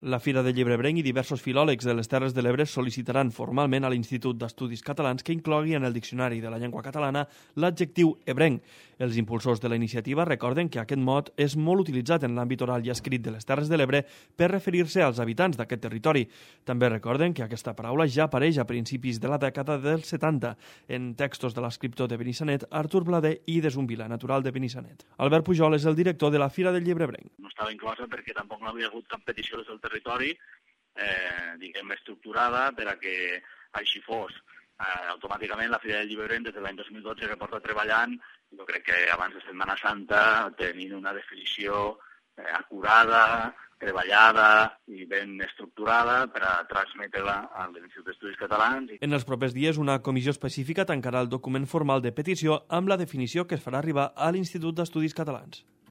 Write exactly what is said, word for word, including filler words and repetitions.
La Fira del Llibre Ebrenc i diversos filòlegs de les Terres de l'Ebre sol·licitaran formalment a l'Institut d'Estudis Catalans que inclogui en el Diccionari de la Llengua Catalana l'adjectiu ebrenc. Els impulsors de la iniciativa recorden que aquest mot és molt utilitzat en l'àmbit oral i escrit de les Terres de l'Ebre per referir-se als habitants d'aquest territori. També recorden que aquesta paraula ja apareix a principis de la dècada dels setanta en textos de l'escriptor de Benissanet, Artur Blader, i de Zumbila, natural de Benissanet. Albert Pujol és el director de la Fira del Llibre Ebrenc. No estava inclosa perquè tampoc no havia hagut cap petició des del territori, eh, diguem, estructurada per a que així fos. Eh, automàticament la Fira del Llibre Ebrenc des de l'any dos mil dotze que porta treballant, jo crec que abans de Setmana Santa tenint una definició eh, acurada, treballada i ben estructurada per a transmetre-la a l'Institut d'Estudis Catalans. En els propers dies, una comissió específica tancarà el document formal de petició amb la definició que es farà arribar a l'Institut d'Estudis Catalans.